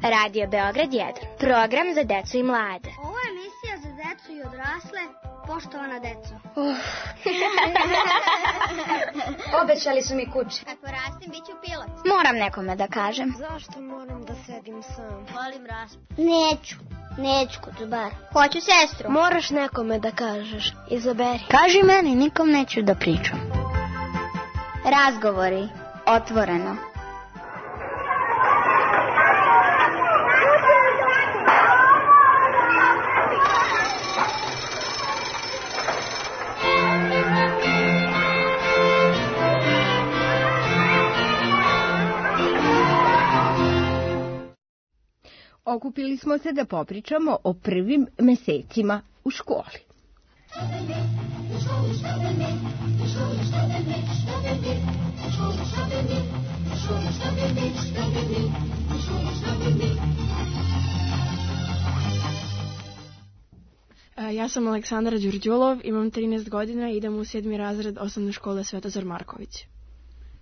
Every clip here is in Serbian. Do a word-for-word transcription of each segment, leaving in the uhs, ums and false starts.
Radio Beograd jedan. Program za decu i mlade. Ovo je emisija za decu i odrasle. Poštovana deco. Uh. Obećali su mi kuće. Kad porastim, bit ću pilot. Moram nekome da kažem. Zašto moram da sedim sam? Volim raspad. Neću. Neću, Kutubar. Hoću sestru. Moraš nekome da kažeš. Izaberi. Kaži meni, nikom neću da pričam. Razgovori. Otvoreno. Okupili smo se da popričamo o prvim mesecima u školi. Ja sam Aleksandra Đurđulov, imam trinaest godina i idem u sedmi razred osnovne škole Svetozar Marković.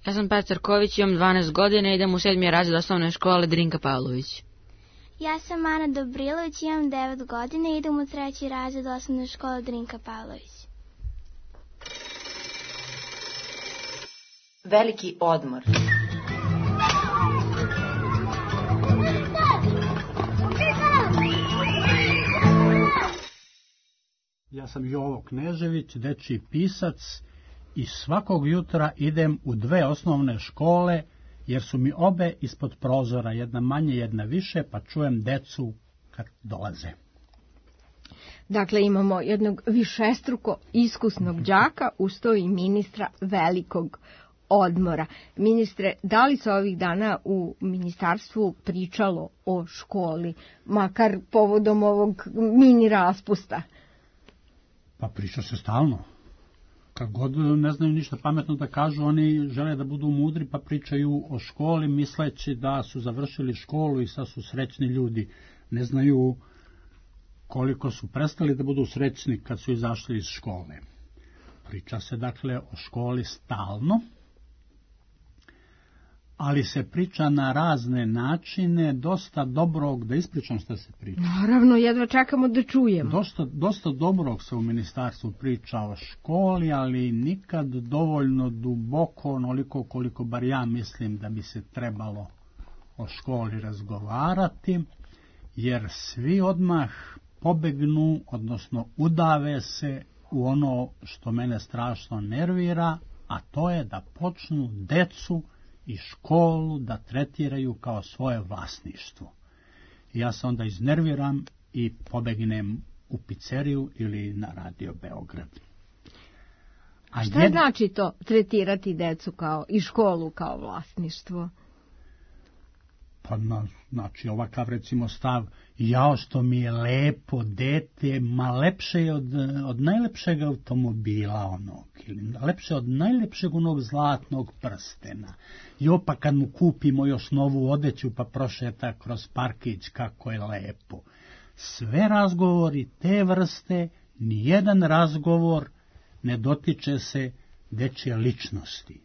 Ja sam Petar Ković, imam dvanaest godina i idem u sedmi razred osnovne škole Drinka Pavlović. Ja sam Ana Dobrilović, imam devet godina i idem u treći razred osnovne škole Drinka Pavlović. Veliki odmor. Ja sam Jovo Knežević, dečiji pisac i svakog jutra idem u dve osnovne škole, jer su mi obe ispod prozora, jedna manje, jedna više, pa čujem decu kad dolaze. Dakle, imamo jednog višestruko iskusnog đaka, uz to i ministra velikog odmora. Ministre, da li se ovih dana u ministarstvu pričalo o školi, makar povodom ovog mini raspusta? Pa priča se stalno. Kad god ne znaju ništa pametno da kažu, oni žele da budu mudri, pa pričaju o školi, misleći da su završili školu i sad su srećni ljudi. Ne znaju koliko su prestali da budu srećni kad su izašli iz škole. Priča se dakle o školi stalno, ali se priča na razne načine, dosta dobrog, da ispričam šta se priča. Naravno, jedva čekamo da čujemo. Dosta, dosta dobrog se u ministarstvu priča o školi, ali nikad dovoljno duboko, onoliko koliko bar ja mislim da bi se trebalo o školi razgovarati, jer svi odmah pobegnu, odnosno udave se u ono što mene strašno nervira, a to je da počnu decu i školu da tretiraju kao svoje vlasništvo. Ja se onda iznerviram i pobegnem u pizzeriju ili na Radio Beograd. A šta jed... znači to, tretirati decu kao i školu kao vlasništvo? Pa na, znači ovakav recimo stav, jao što mi je lepo dete, ma lepše je od, od najlepšeg automobila onog, ili lepše od najlepšeg onog zlatnog prstena. Jo, pa kad mu kupimo još novu odeću pa prošeta kroz parkić, kako je lepo. Sve razgovori te vrste, nijedan razgovor ne dotiče se dečje ličnosti.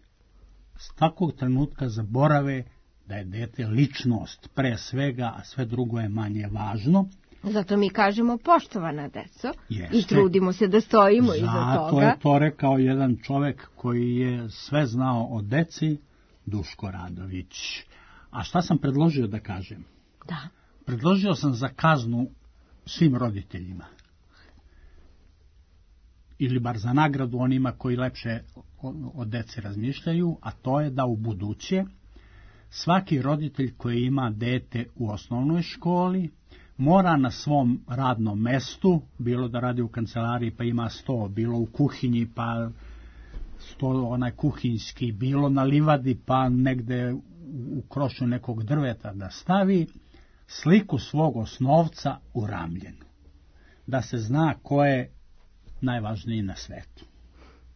S takvog trenutka zaborave da je dete ličnost pre svega, a sve drugo je manje važno. Zato mi kažemo poštovana deco. Jeste. I trudimo se da stojimo iza toga. Zato je to rekao jedan čovek koji je sve znao o deci, Duško Radović. A šta sam predložio da kažem? Da. Predložio sam za kaznu svim roditeljima. Ili bar za nagradu onima koji lepše o, o deci razmišljaju, a to je da u buduće svaki roditelj koji ima dete u osnovnoj školi mora na svom radnom mestu, bilo da radi u kancelariji pa ima sto, bilo u kuhinji pa sto onaj kuhinjski, bilo na livadi pa negde u krošnju nekog drveta, da stavi sliku svog osnovca u ramljenu, da se zna ko je najvažniji na svetu.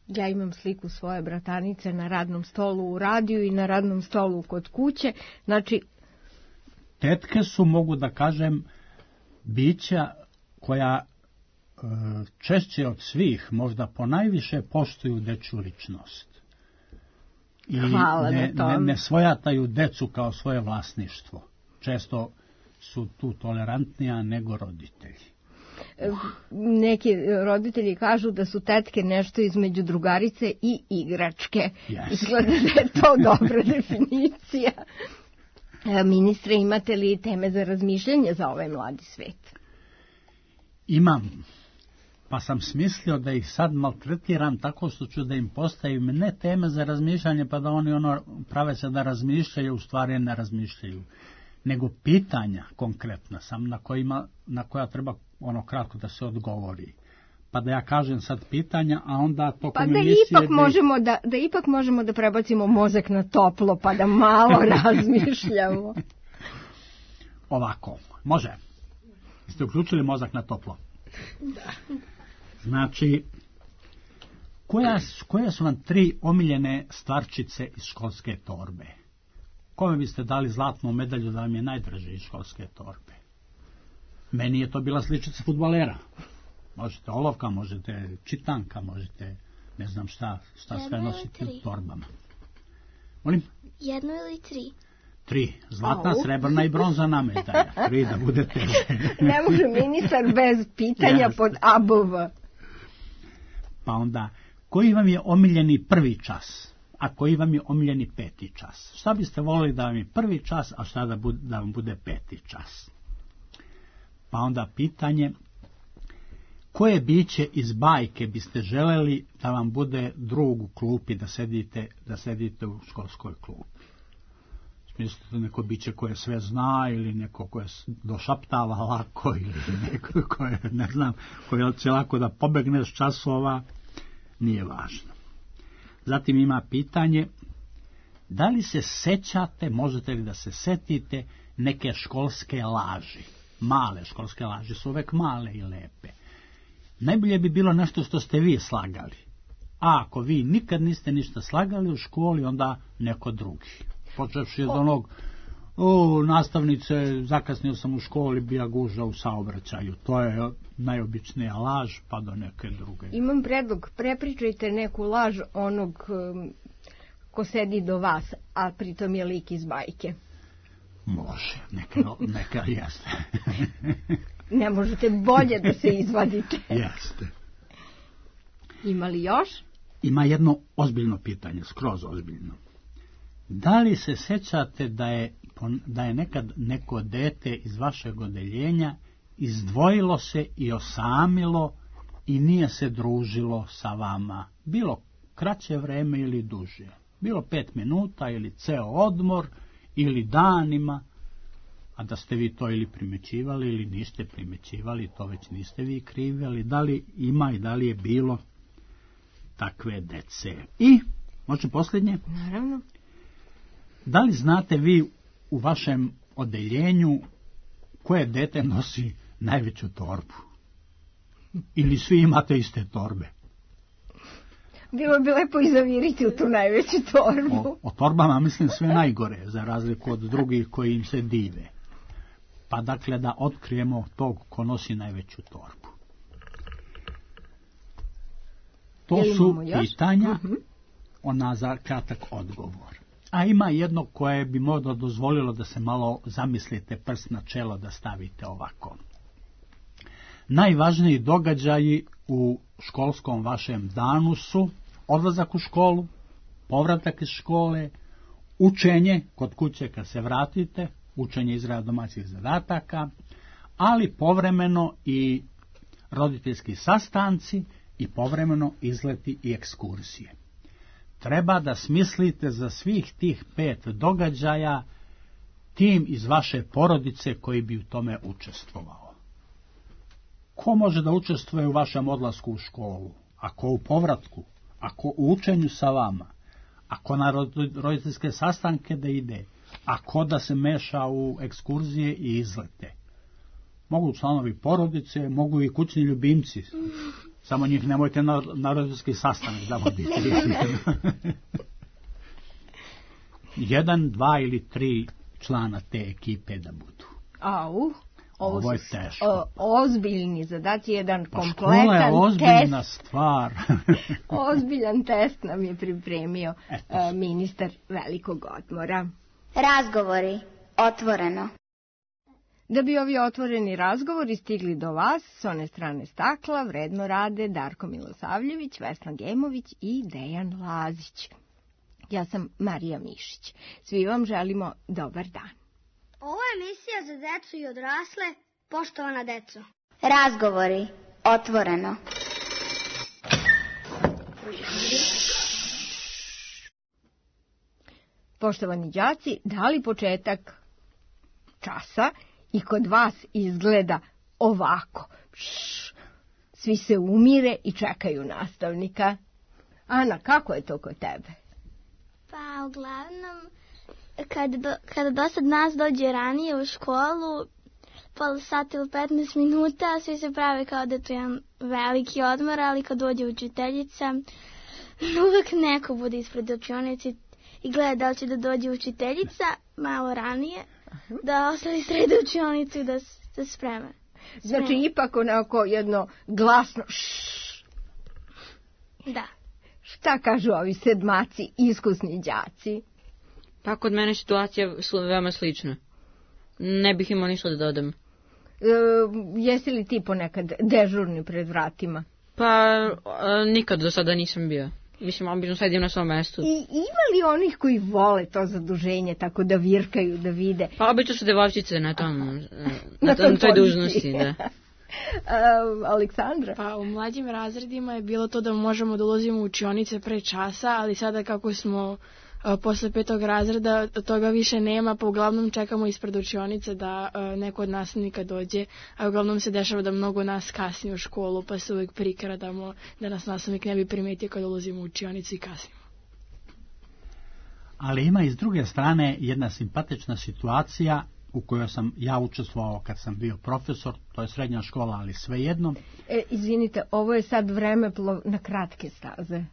Ja imam sliku svoje bratanice na radnom stolu u radiju i na radnom stolu kod kuće. Znači, tetke su, mogu da kažem, bića koja e, češće od svih, možda ponajviše poštuju dečju ličnost. I Hvala ne, na tome. ne, ne svojataju decu kao svoje vlasništvo. Često su tu tolerantnija nego roditelji. Neki roditelji kažu da su tetke nešto između drugarice i igračke. Yes. Izgleda da je to dobra definicija. Ministre, imate li teme za razmišljanje za ovaj mladi svet? Imam, pa sam smislio da ih sad maltretiram tako što ću da im postavim ne teme za razmišljanje, pa da oni ono prave se da razmišljaju, u stvari ne razmišljaju, nego pitanja konkretna sam na, kojima, na koja treba ono kratko da se odgovori. Pa da ja kažem sad pitanja, a onda tokom pa da emisije... Ipak da... Možemo da, da ipak možemo da prebacimo mozak na toplo, pa da malo razmišljamo. Ovako, može. Ste uključili mozak na toplo? Da. Znači, koja, koje su vam tri omiljene stvarčice iz školske torbe? Kome biste dali zlatnu medalju da vam je najdraže iz školske torbe? Meni je to bila sličica fudbalera. Možete olovka, možete čitanka, možete ne znam šta, šta sve nositi u torbama. Molim? Jednu ili tri? Tri. Zlatna, oh. srebrna i bronzana medalja. Tri da bude teže. Ne može ministar bez pitanja yes. pod A B V. Pa onda, koji vam je omiljeni prvi čas, a koji vam je omiljeni peti čas? Šta biste volili da vam je prvi čas, a šta da, bude, da vam bude peti čas? Pa onda pitanje, koje biće iz bajke biste želeli da vam bude drug u klupi, da sedite, da sedite u školskoj klupi? Smislite neko biće koje sve zna, ili neko koje došaptava lako, ili neko koje, ne znam, koje će lako da pobegne s časova, nije važno. Zatim ima pitanje, da li se sećate, možete li da se setite neke školske laži? Male školske laži su uvek male i lepe. Najbolje bi bilo nešto što ste vi slagali. A ako vi nikad niste ništa slagali u školi, onda neko drugi. Počevši od onog, o, nastavnice, zakasnio sam u školi, bija guža u saobraćaju. To je najobičnija laž, pa do neke druge. Imam predlog, prepričajte neku laž onog um, ko sedi do vas, a pritom je lik iz bajke. Može, neka, neka jeste. Ne možete bolje da se izvadite. Jeste. Ima li još? Ima jedno ozbiljno pitanje, skroz ozbiljno. Da li se sećate da je, da je nekad neko dete iz vašeg odeljenja izdvojilo se i osamilo i nije se družilo sa vama? Bilo kraće vreme ili duže? Bilo pet minuta ili ceo odmor ili danima, a da ste vi to ili primećivali ili niste primećivali, to već niste vi krivi, ali da li ima i da li je bilo takve dece? I, može posljednje? Naravno. Da li znate vi u vašem odeljenju koje dete nosi najveću torbu? Ili svi imate iste torbe? Bilo bi lepo i zaviriti u tu najveću torbu. O, o torbama mislim sve najgore, za razliku od drugih koji im se dive. Pa dakle da otkrijemo tog ko nosi najveću torbu. To su pitanja, uh-huh. ona za kratak odgovor. A ima jedno koje bi možda dozvolilo da se malo zamislite, prst na čelo da stavite ovako. Najvažniji događaji u školskom vašem danu su odlazak u školu, povratak iz škole, učenje kod kuće kad se vratite, učenje izrada domaćih zadataka, ali povremeno i roditeljski sastanci i povremeno izleti i ekskursije. Treba da smislite za svih tih pet događaja tim iz vaše porodice koji bi u tome učestvovao. Ko može da učestvuje u vašem odlasku u školu? Ako u povratku? Ako u učenju sa vama? Ako na roditeljske sastanke da ide? Ako da se meša u ekskurzije i izlete? Mogu članovi porodice, mogu i kućni ljubimci. Samo njih nemojte na, na roditeljski sastanak da vodite. Jedan, dva ili tri člana te ekipe da budu. Au, ovo, ovo je su teško. O, ozbiljni zadaci, jedan pa kompletan škola je ozbiljna test. stvar. Ozbiljan test nam je pripremio Eto. ministar velikog odmora. Razgovori. Otvoreno. Da bi ovi otvoreni razgovori stigli do vas, s one strane stakla vredno rade Darko Milosavljević, Vesna Gemović i Dejan Lazić. Ja sam Marija Mišić. Svi vam želimo dobar dan. Ovo je emisija za decu i odrasle, poštovana deco. Razgovori. Otvoreno. Poštovani đaci, da li početak časa i kod vas izgleda ovako? Šš, svi se umire i čekaju nastavnika. Ana, kako je to kod tebe? Pa, uglavnom, kad, do, kada dosad nas dođe ranije u školu, pola sata ili petnaest minuta, svi se prave kao da je to jedan veliki odmor, ali kad dođe učiteljica, uvek neko bude ispred učionice i gleda da li će da dođe učiteljica malo ranije, da ostali srede učionicu i da se spreme. Znači, ipak onako jedno glasno ššš. Da. Šta kažu ovi sedmaci, iskusni đaci? Pa kod mene situacija veoma slična. Ne bih imao ništa da dodam. E, jesi li ti ponekad dežurni pred vratima? Pa a, nikad do sada nisam bio. Mislim, obično sedim na svom mestu. I ima li onih koji vole to zaduženje, tako da virkaju, da vide? Pa obično su devojčice na tom, na, na tom, toj dužnosti, da. Uh, Aleksandra? Pa u mlađim razredima je bilo to da možemo da ulazimo u učionice pre časa, ali sada kako smo uh, posle petog razreda toga više nema, pa uglavnom čekamo ispred učionice da uh, neko od nastavnika dođe, a uglavnom se dešava da mnogo nas kasni u školu, pa se uvek prikradamo da nas nastavnik ne bi primetio kada ulazimo u učionicu i kasnimo. Ali ima i s druge strane jedna simpatična situacija u kojoj sam ja učestvovao kad sam bio profesor, to je srednja škola, ali svejedno. E, izvinite, ovo je sad vremeplov na kratke staze.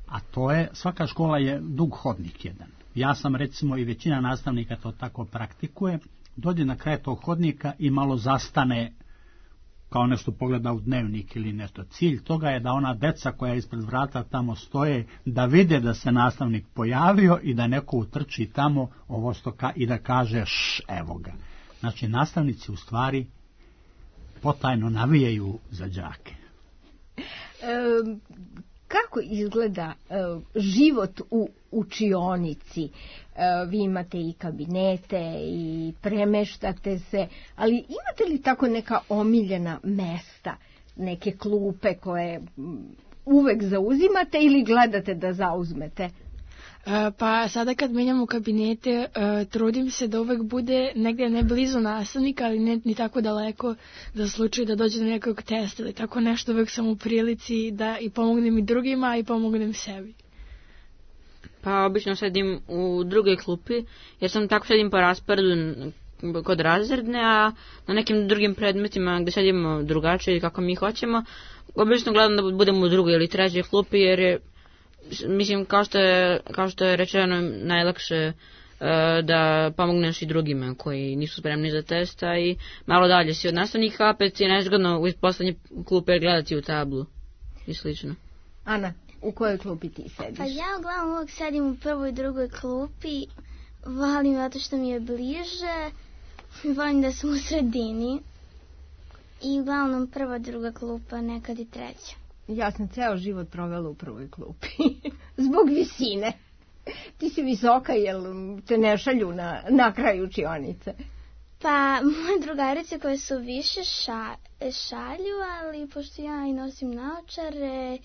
A to je, svaka škola je dug hodnik jedan. Ja sam recimo i većina nastavnika to tako praktikuje, dođe na kraj tog hodnika i malo zastane, kao nešto pogleda u dnevnik ili nešto. Cilj toga je da ona deca koja ispred vrata tamo stoje, da vide da se nastavnik pojavio i da neko utrči tamo ovo stoka i da kaže š, evo ga. Znači, nastavnici u stvari potajno navijaju za đake. E, kako izgleda e, život u učionici? E, vi imate i kabinete i premeštate se, ali imate li tako neka omiljena mesta, neke klupe koje uvek zauzimate ili gledate da zauzmete? Pa sada kad menjamo kabinete, trudim se da uvek bude negdje ne blizu nastavnika, ali ne ni tako daleko da slučaju da dođe do nekog testa ili tako nešto, uvek sam u prilici da i pomognem i drugima i pomognem sebi. Pa obično sedim u drugoj klupi, jer sam tako sedim po rasporedu kod razredne, a na nekim drugim predmetima gde sedimo drugačije kako mi hoćemo, obično gledam da budemo u drugoj ili trećoj klupi, jer je, mislim, kao što je, kao što je rečeno, najlakše uh, da pomogneš i drugima koji nisu spremni za testa i malo dalje si od nastavnika, opet je nezgodno u poslednje klupe gledati u tablu i slično. Ana, u kojoj klupi ti sediš? Pa ja uglavnom uvijek sedim u prvoj i drugoj klupi, volim zato što mi je bliže, volim da sam u sredini i uglavnom prva, druga klupa, nekad i treća. Ja sam ceo život provela u prvoj klupi. Zbog visine. Ti si visoka, jel te ne šalju na, na kraju učionice? Pa, moje drugarice koje su više ša, šalju, ali pošto ja i nosim naočare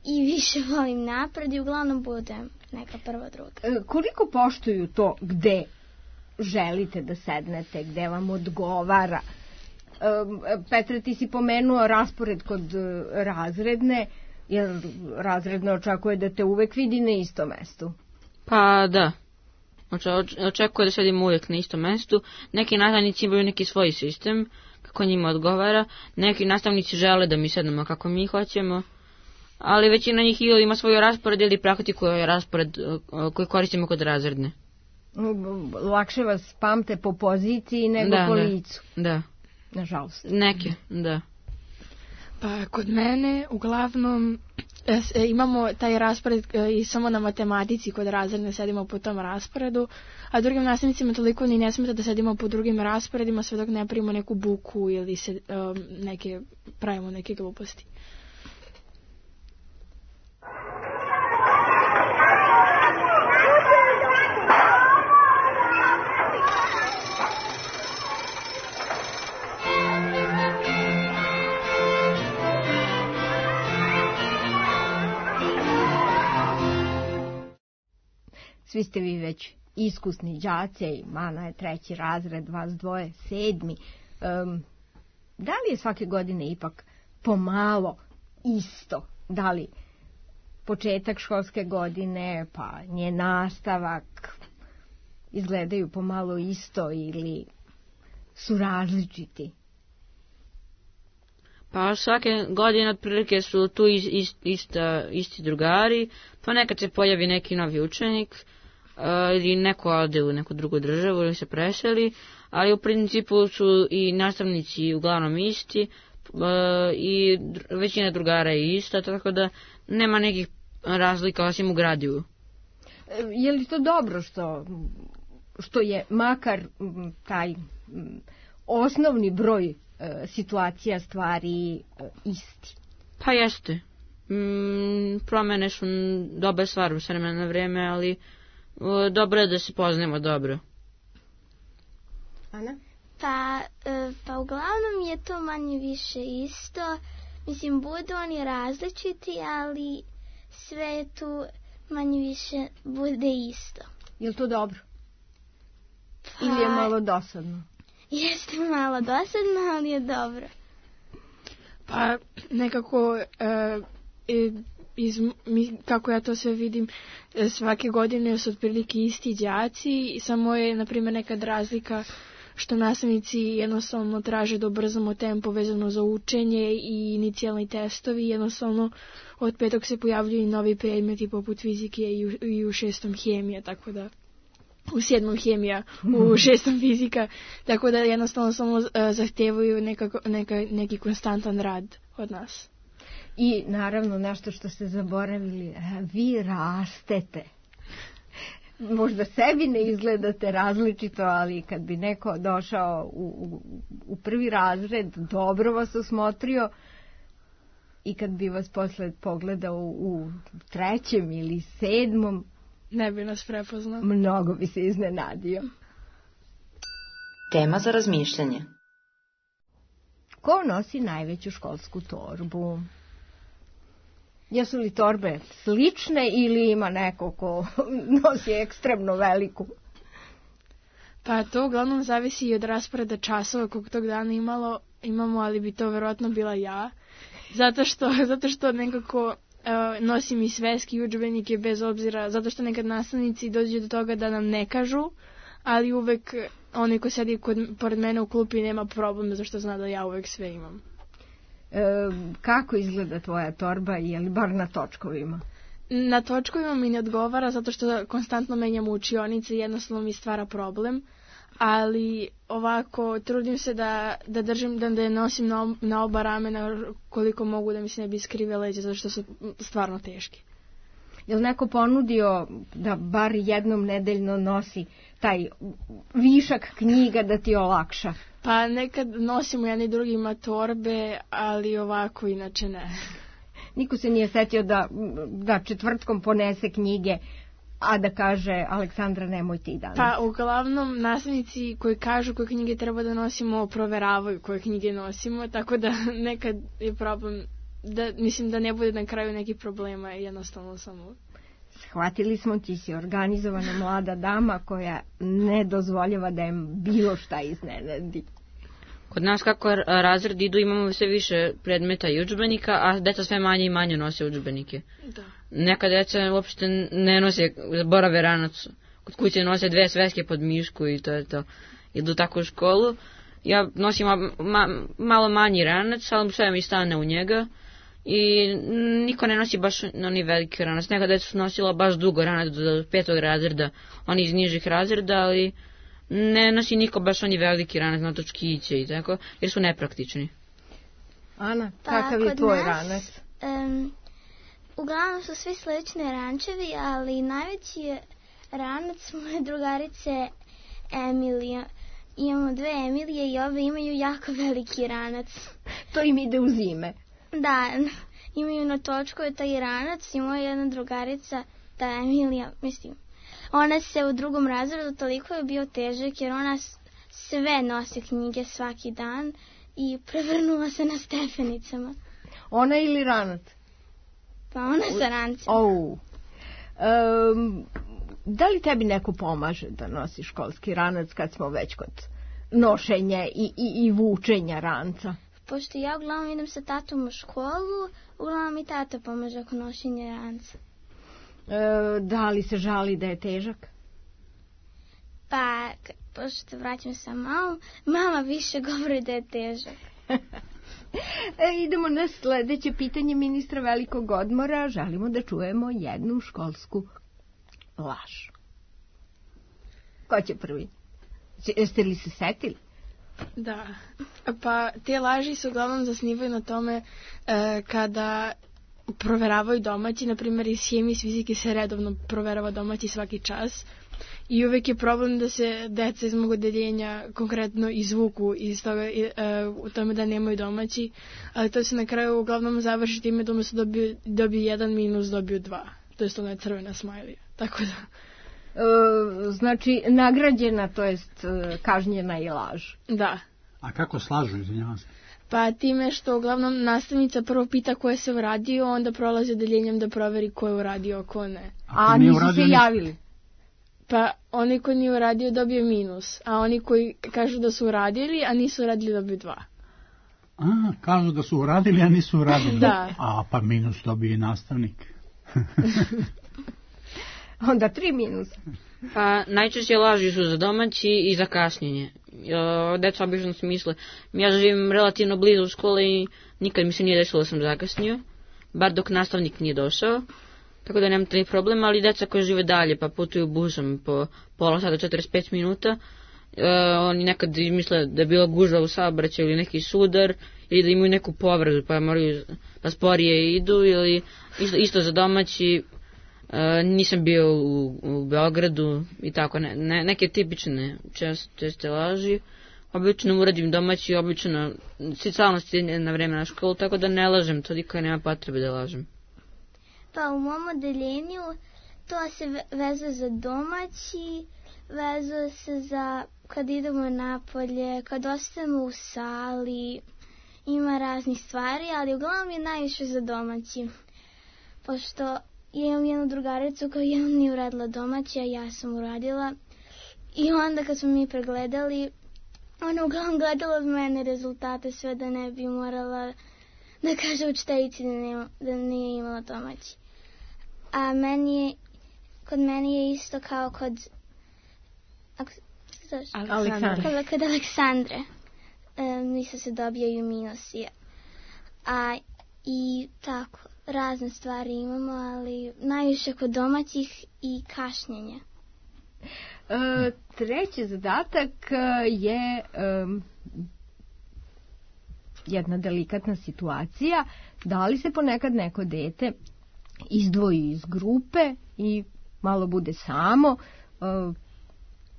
i više volim napred i uglavnom budem neka prva, druga. E, koliko poštuju to gde želite da sednete, gde vam odgovara? Petre, ti si pomenuo raspored kod razredne, jer razredna očekuje da te uvek vidi na istom mestu. Pa da, očekuje da sedim uvijek na istom mestu. Neki nastavnici imaju neki svoj sistem, kako njima odgovara. Neki nastavnici žele da mi sednemo kako mi hoćemo, ali većina njih ili ima svoj raspored ili praktikuje raspored koji koristimo kod razredne. Lakše vas pamte po poziciji nego da, po da, licu. Da. Nažalost. Neke, da. Pa kod mene uglavnom imamo taj raspored i samo na matematici kod razredne sedimo po tom rasporedu, a drugim nastavnicima toliko ni ne smeta da sedimo po drugim rasporedima sve dok ne primimo neku buku ili se um, neke, pravimo neke gluposti. Svi ste vi već iskusni đaci, Mana je treći razred, vas dvoje sedmi. Um, da li je svake godine ipak pomalo isto? Da li početak školske godine, pa njen nastavak izgledaju pomalo isto ili su različiti? Pa svake godine otprilike su tu ist, ist, ista, isti drugari, pa nekad se pojavi neki novi učenik, uh, ili neko ode u neku drugu državu ili se preseli, ali u principu su i nastavnici uglavnom isti uh, i dr- većina drugara je ista, tako da nema nekih razlika osim u gradivu. Je li to dobro što, što je makar taj osnovni broj situacija, stvari isti? Pa jeste. Mm, promene su dobra stvar u vremena na vreme, ali o, dobro je da se poznajemo dobro. Ana? Pa, pa uglavnom je to manje više isto. Mislim, budu oni različiti, ali sve tu manje više bude isto. Je li to dobro? Pa, ili je malo dosadno? Jeste malo dosadno, ali je dobro. Pa nekako e, iz, mi, kako ja to sve vidim, svake godine su otprilike isti đaci, samo je na primjer nekad razlika što nastavnici jednostavno traže da ubrzamo tempo vezano za učenje i inicijalni testovi, jednostavno od petog se pojavljuju i novi predmeti poput fizike i u, i u šestom hemija, tako da u sedmom hemija, u šestom fizika, tako da jednostavno samo uh, zahtevaju nekako, neka, neki konstantan rad od nas. I naravno nešto što ste zaboravili, vi rastete. Možda sebi ne izgledate različito, ali kad bi neko došao u, u, u prvi razred, dobro vas osmotrio, i kad bi vas posle pogledao u trećem ili sedmom, ne bi nas prepoznao. Mnogo bi se iznenadio. Tema za razmišljanje. Ko nosi najveću školsku torbu? Jesu li torbe slične ili ima neko ko nosi ekstremno veliku? Pa to uglavnom zavisi i od rasporeda časova kog tog dana imalo, imamo, ali bi to verovatno bila ja. Zato što, zato što nekako uh, nosim i sveski udžbenike bez obzira, zato što nekad nastavnici dođu do toga da nam ne kažu, ali uvek onaj ko sedi kod, pored mene u klupi nema problem, zašto zna da ja uvek sve imam. E, kako izgleda tvoja torba, je li bar na točkovima? Na točkovima mi ne odgovara zato što konstantno menjam učionice i jednostavno mi stvara problem, ali ovako trudim se da, da držim, da ne nosim na, na oba ramena koliko mogu da mi se ne bi skrive leđa, zato što su stvarno teški. Je li neko ponudio da bar jednom nedeljno nosi taj višak knjiga da ti olakša? Pa nekad nosimo jedni drugima torbe, ali ovako inače ne. Niko se nije setio da, da četvrtkom ponese knjige, a da kaže Aleksandra nemoj ti danas. Pa uglavnom nastavnici koji kažu koje knjige treba da nosimo proveravaju koje knjige nosimo, tako da nekad je problem, da mislim da ne bude na kraju nekih problema, jednostavno samo. Shvatili smo, ti si organizovana mlada dama koja ne dozvoljava da im bilo šta iznenadi. Kod nas kako razred idu imamo sve više predmeta i udžbenika, a deca sve manje i manje nose udžbenike. Da. Neka deca uopšte ne nose, borave ranac, kod kuće nose dve sveske pod mišku i to je to. Idu tako u školu. Ja nosim ma, ma, malo manji ranac, ali sve mi stane u njega. I niko ne nosi baš oni veliki ranac. Neka deca su nosila baš dugo ranac do petog razreda, oni iz nižih razreda, ali ne nosi niko baš oni veliki ranac na točkiće i tako, jer su nepraktični. Ana, pa, kakav je tvoj nas, ranac? Um, uglavnom su svi slični rančevi, ali najveći je ranac moje drugarice Emilija. Imamo dve Emilije i ove imaju jako veliki ranac. To im ide u zime. Da, imaju na točku je taj ranac i moja jedna drugarica, ta Emilija, mislim, ona se u drugom razredu toliko je bio težak jer ona sve nosi knjige svaki dan i prevrnula se na stepenicama. Ona ili ranac? Pa ona sa rancem. Oh. Um, da li tebi neko pomaže da nosi školski ranac kad smo već kod nošenja i, i, i vučenja ranca? Pošto ja uglavnom idem sa tatom u školu, uglavnom mi tata pomaže oko nošenja ranca. E, da li se žali da je težak? Pa, pošto vraćam se malo, mama više govori da je težak. E, idemo na sledeće pitanje ministra Velikog odmora. Želimo da čujemo jednu školsku laž. Ko će prvi? Jeste li se setili? Da, pa te laži se uglavnom zasnivaju na tome e, kada proveravaju domaći, na primjer iz hemije i iz fizike se redovno proverava domaći svaki čas i uvek je problem da se deca iz mog odeljenja konkretno izvuku iz toga, e, u tome da nemaju domaći, ali to se na kraju uglavnom završi time da umjesto dobiju, dobiju jedan minus, dobiju dva, to je ona crvena smajlija, tako da... E, znači, nagrađena, to jest kažnjena i laž. Da. A kako slažu, izvinjavam se? Pa time što uglavnom nastavnica prvo pita ko je se uradio, onda prolazi odeljenjem da proveri ko je uradio, ko ne. A, a nisu se javili? Pa oni koji nije uradio dobije minus, a oni koji kažu da su uradili, a nisu uradili dobiju dva. A, kažu da su uradili, a nisu uradili. Da. A, pa minus dobije nastavnik. Onda tri minusa. Pa najčešće laži su za domaći i za kašnjenje. Deca obično se misle, ja živim relativno blizu škole i nikad mi se nije desilo da sam zakasnio, bar dok nastavnik nije došao, tako da nemam taj problem, ali deca koji žive dalje pa putuju busom po pola sata, četrdeset pet minuta, e, oni nekad misle da je bila gužva u saobraćaju ili neki sudar, ili da imaju neku povredu pa moraju da sporije idu, ili isto, isto za domaći. Uh, nisam bio u, u Beogradu i tako, ne, ne, neke tipične čest, česte laži. Obično uradim domaći, obično stalno stigne na vreme na školu, tako da ne lažem, toliko nema potrebe da lažem. Pa u mom odeljenju to se vezuje za domaći, vezuje se za kad idemo napolje, kad ostajemo u sali, ima raznih stvari, ali uglavnom je najviše za domaći, pošto ja imam jednu drugaricu koja jednom nije uradila domaći, a ja sam uradila. I onda kad smo mi pregledali, ona uglavnom gledala od mene rezultate sve da ne bi morala da kaže učiteljici da, nema, da nije imala domaći. A meni je, kod meni je isto kao kod ako, Aleksandre. Kod, kod Aleksandre. E, nisu se dobijaju minusi. A i tako. Razne stvari imamo, ali najviše kod domaćih i kašnjenja. E, treći zadatak je e, jedna delikatna situacija. Da li se ponekad neko dete izdvoji iz grupe i malo bude samo? E,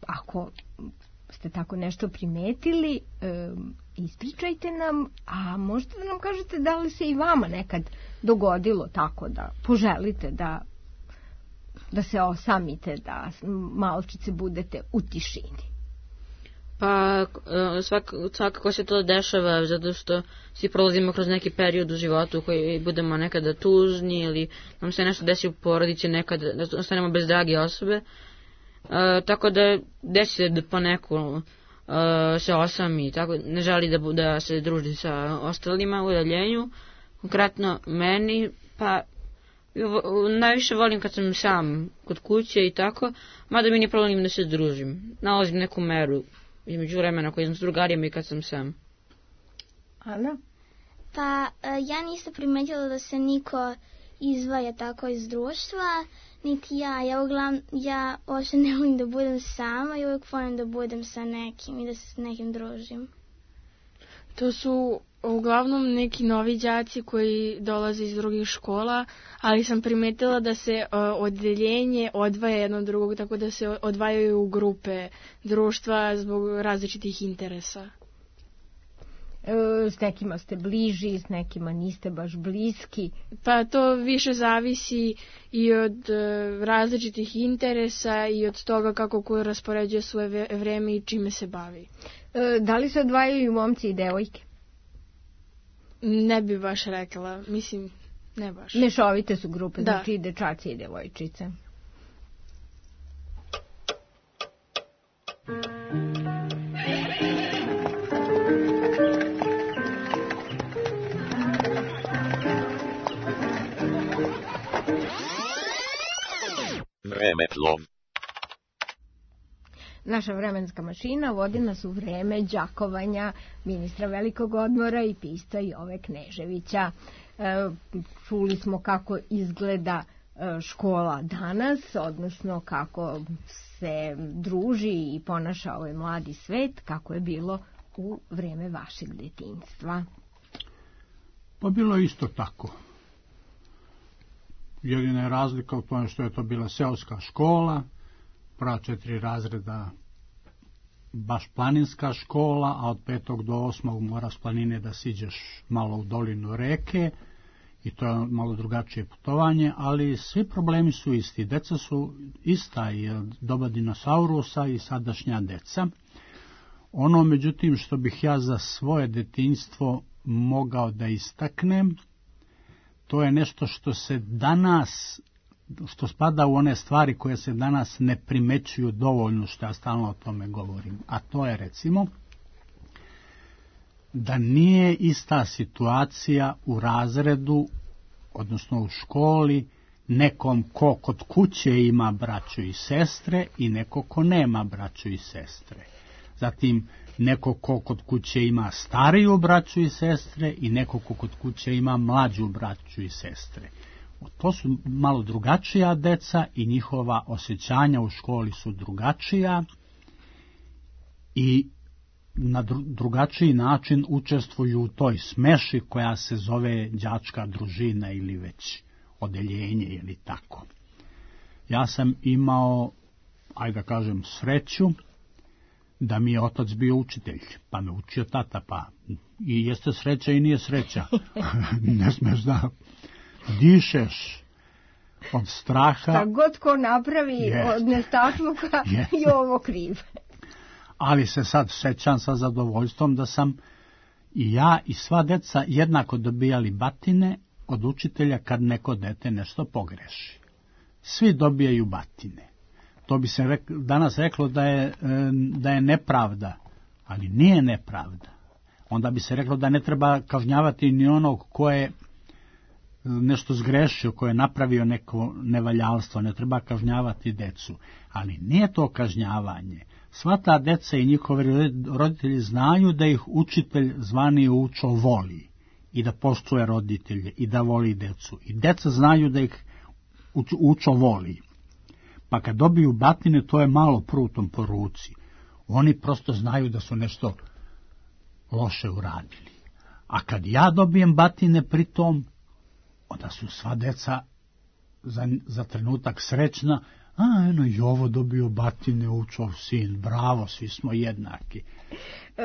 ako ste tako nešto primetili, e, ispričajte nam, a možete da nam kažete da li se i vama nekad dogodilo tako da poželite da, da se osamite, da malčice budete u tišini. Pa svak, svakako se to dešava zato što svi prolazimo kroz neki period u životu koji budemo nekada tužni ili nam se nešto desi u porodici, nekada da ostanemo bez drage osobe. E, tako da desi se da poneko Uh, se osami, tako ne želi da, da se druži sa ostalima u udaljenju. Konkretno meni, pa najviše volim kad sam sam kod kuće i tako, mada mi nije problem da se družim. Nalazim neku meru između vremena koji sam s drugarima i kad sam sam. Ana? Pa ja nisam primetila da se niko izdvaja tako iz društva, niti ja. Ja uglavnom, ja uopšte ne volim da budem sama i uvijek volim da budem sa nekim i da se s nekim družim. To su uglavnom neki novi đaci koji dolaze iz drugih škola, ali sam primetila da se uh, odeljenje odvaja jedno od drugog, tako da se odvajaju u grupe društva zbog različitih interesa. E, s nekima ste bliži, s nekima niste baš bliski. Pa to više zavisi i od uh, različitih interesa i od toga kako ko raspoređuje svoje vreme i čime se bavi. E, da li se odvajaju momci i devojke? Ne bi baš rekla, mislim, ne baš. Mešovite su grupe, da. Znači i dečaci i devojčice. Vremeplov. Naša vremenska mašina vodi nas u vreme đakovanja ministra Velikog odmora i pisca Jove Kneževića. E, čuli smo kako izgleda škola danas, odnosno kako se druži i ponaša ovaj mladi svet, kako je bilo u vreme vašeg detinjstva. Pa bilo je isto tako. Jedina je razlika u tome što je to bila seoska škola, prva četiri razreda baš planinska škola, a od petog do osmog mora s planine da siđeš malo u dolinu reke i to je malo drugačije putovanje, ali svi problemi su isti. Deca su ista i od doba dinosaurusa i sadašnja deca. Ono, međutim, što bih ja za svoje detinjstvo mogao da istaknem, to je nešto što se danas, što spada u one stvari koje se danas ne primećuju dovoljno, što ja stalno o tome govorim. A to je, recimo, da nije ista situacija u razredu, odnosno u školi, nekom ko kod kuće ima braću i sestre i neko ko nema braću i sestre. Zatim, neko ko kod kuće ima stariju braću i sestre i neko ko kod kuće ima mlađu braću i sestre. To su malo drugačija deca i njihova osjećanja u školi su drugačija i na drugačiji način učestvuju u toj smeši koja se zove đačka družina ili već odeljenje ili tako. Ja sam imao, ajde da kažem, sreću da mi je otac bio učitelj, pa me učio tata, pa i jeste sreća i nije sreća. Ne smeš da dišeš od straha. Šta god ko napravi yes. od nestašluka yes. je ovo kriv. Ali se sad sećam sa zadovoljstvom da sam i ja i sva deca jednako dobijali batine od učitelja kad neko dete nešto pogreši. Svi dobijaju batine. To bi se rek, danas reklo da je, da je nepravda, ali nije nepravda. Onda bi se reklo da ne treba kažnjavati ni onog ko je nešto zgrešio, ko je napravio neko nevaljalstvo, ne treba kažnjavati decu. Ali nije to kažnjavanje. Sva ta deca i njihovi roditelji znaju da ih učitelj zvani učo voli i da poštuje roditelje i da voli decu. I deca znaju da ih učo voli. Pa kad dobiju batine, to je malo prutom po ruci. Oni prosto znaju da su nešto loše uradili. A kad ja dobijem batine pritom, onda su sva deca za, za trenutak srećna. A, eno, i ovo dobio batine, učov sin, bravo, svi smo jednaki. E,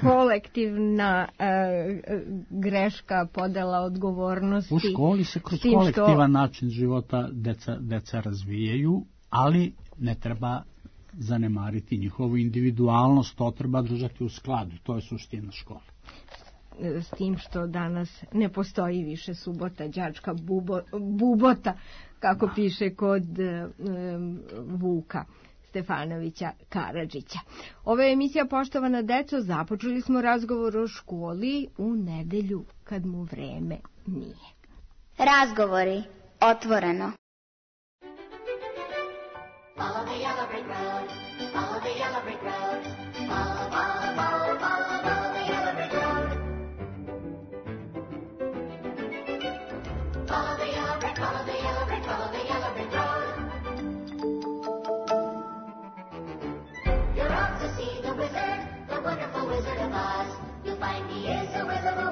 kolektivna e, greška, podela odgovornosti. U školi se kroz kolektivan što... način života deca, deca razvijaju, ali ne treba zanemariti njihovu individualnost, to treba držati u skladu, to je suština škole. S tim što danas ne postoji više subota, đačka bubo, bubota, kako da. Piše kod um, Vuka Stefanovića Karadžića. Ova emisija, poštovana deco, započeli smo razgovor o školi u nedelju kad mu vreme nije. Razgovori otvoreno. Follow the yellow brick road, follow the yellow brick road, follow, follow, follow, follow, follow the yellow brick road. Follow the yellow brick, follow the yellow brick, follow the yellow brick road. You're off to see the wizard, the wonderful Wizard of Oz. You'll find he is a wizard.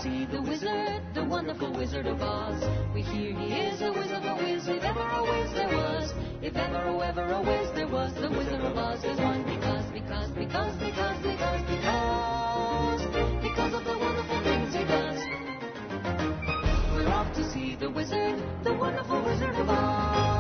see the wizard, the wonderful Wizard of Oz. We hear he is a wizard, a whiz, if ever a whiz there was. If ever, oh, ever a whiz there was, the Wizard of Oz is one because, because, because, because, because, because, because of the wonderful things he does. We're off to see the wizard, the wonderful Wizard of Oz.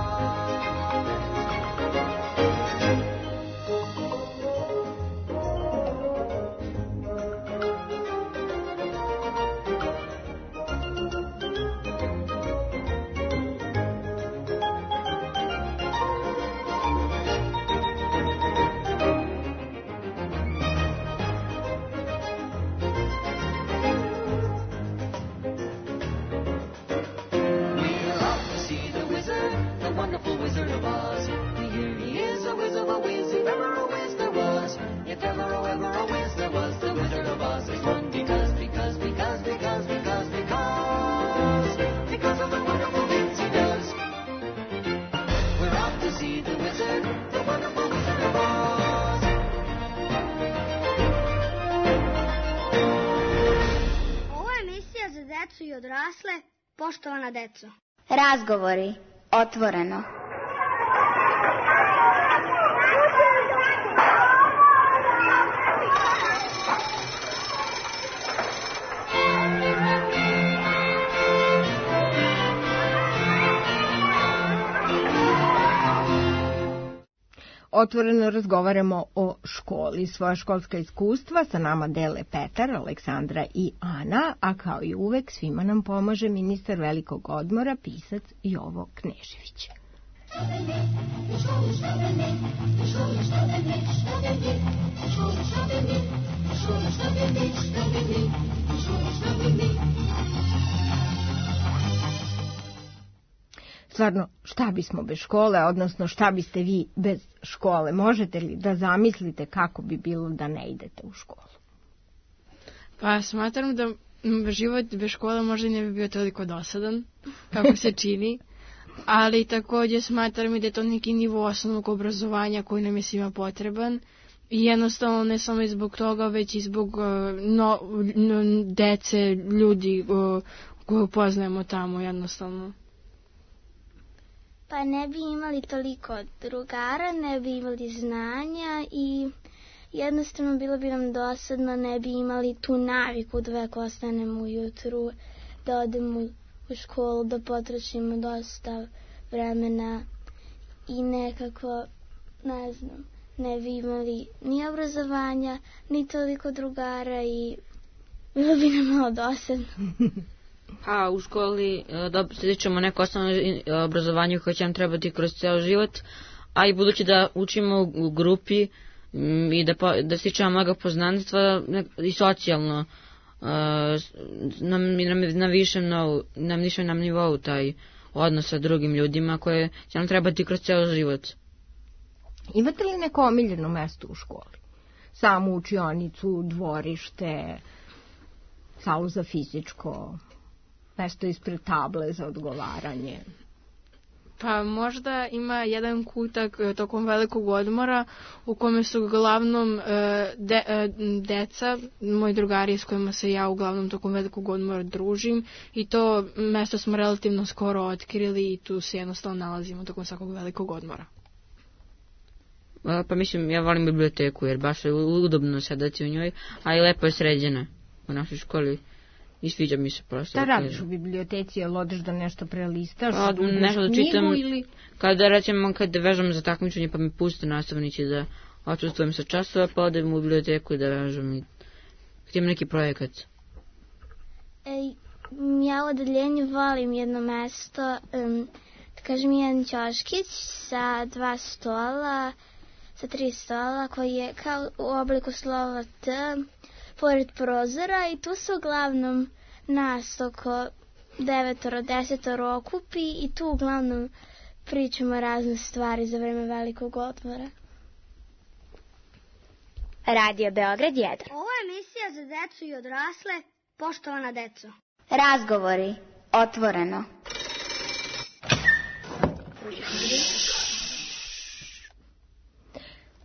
Wizard of Oz. We hear he is a whiz of a whiz, if ever a whiz there was. If ever, oh, ever a whiz there was, the Wizard of Oz is one because, because, because, because, because, because, because of the wonderful things he does. We're off to see the wizard, the wonderful Wizard of Oz. Ovo je emisija za decu i odrasle, poštovana deco. Razgovori. Otvoreno. Otvoreno razgovaramo o školi. Svoja školska iskustva sa nama dele Petar, Aleksandra i Ana, a kao i uvek svima nam pomaže ministar velikog odmora, pisac Jovo Knežević. Stvarno, šta bismo bez škole, odnosno šta biste vi bez škole? Možete li da zamislite kako bi bilo da ne idete u školu? Pa smatram da život bez škole možda ne bi bio toliko dosadan, kako se čini, ali također smatram i da je to neki nivo osnovnog obrazovanja koji nam je svima potreban. I jednostavno ne samo i zbog toga, već i zbog uh, no, no, dece, ljudi uh, koje poznajemo tamo jednostavno. Pa ne bi imali toliko drugara, ne bi imali znanja i jednostavno bilo bi nam dosadno, ne bi imali tu naviku da uvek ostanemo ujutru, da odemo u školu, da potrošimo dosta vremena i nekako, ne znam, ne bi imali ni obrazovanja, ni toliko drugara i bilo bi nam malo dosadno. A u školi da stičemo neko osnovno obrazovanje koje će nam trebati kroz ceo život, a i budući da učimo u grupi i da, da stičemo mnoga poznanstva i socijalno na, na, na višem novu, na višem nam nivou taj odnos sa drugim ljudima koje će nam trebati kroz ceo život. Imate li neko omiljeno mesto u školi? Samu učionicu, dvorište, salu za fizičko, mesto ispred table za odgovaranje? Pa možda ima jedan kutak tokom velikog odmora u kome su uglavnom de, deca, moji drugari s kojima se ja uglavnom tokom velikog odmora družim i to mesto smo relativno skoro otkrili i tu se jednostavno nalazimo tokom svakog velikog odmora. Pa mislim, ja volim biblioteku jer baš je udobno sedati u njoj, a i lepo je sređena u našoj školi. I sviđa mi se prosto. Šta radiš u biblioteci, jel odeš da nešto prelistaš? Pa, nešto da čitam, ili... kada recimo kada vežam za takmičenje pa mi puste nastavnici da odsustvujem sa časova, pa odem u biblioteku i da vežam i htjem neki projekat. Ej, ja u odeljenju volim jedno mesto, um, da kažem jedan ćoškić sa dva stola, sa tri stola koji je kao u obliku slova T, pored prozora i tu se uglavnom nas oko devetoro, desetoro okupi i tu uglavnom pričamo razne stvari za vreme velikog odmora. Radio Beograd jedan. Ovo je emisija za decu i odrasle, poštovana deco. Razgovori. Otvoreno.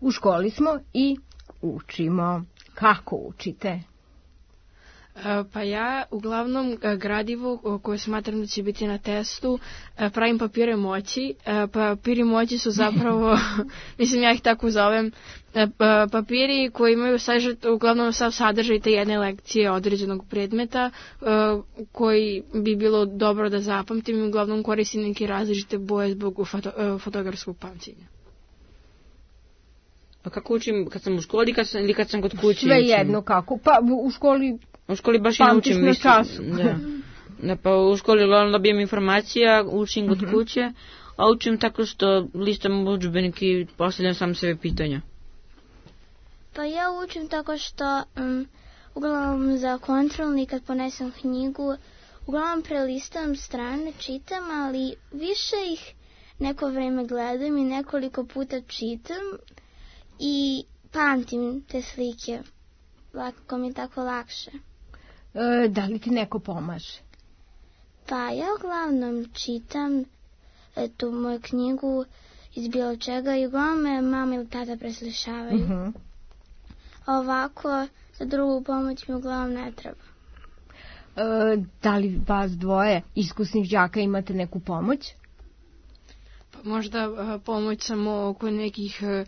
U školi smo i učimo. Kako učite? Pa ja uglavnom gradivo koje smatram da će biti na testu pravim papire moći. Papiri moći su zapravo, mislim ja ih tako zovem, papiri koji imaju sažet, uglavnom sav sadržaj te jedne lekcije određenog predmeta koji bi bilo dobro da zapamtim i uglavnom koristim neke različite boje zbog foto, fotografskog pamćenja. A kako učim, kad sam u školi kad sam, ili kad sam kod kuće? Sve jedno kako, pa u školi u školi baš i naučim na času. Da. Da, pa u školi uglavnom dobijem informacija, učim kod uh-huh. kuće, a učim tako što listam udžbenik i postavljam sam sebe pitanja. Pa ja učim tako što um, uglavnom za kontrolni kad ponesem knjigu, uglavnom prelistam strane, čitam, ali više ih neko vreme gledam i nekoliko puta čitam i pamtim te slike. Lako mi je tako lakše. E, da li ti neko pomaže? Pa ja uglavnom čitam tu moju knjigu iz bilo čega i uglavnom me mama ili tata preslišavaju. Uh-huh. Ovako, za drugu pomoć mi uglavnom ne treba. E, da li vas dvoje iskusnih đaka imate neku pomoć? Pa možda uh, pomoć samo oko nekih uh,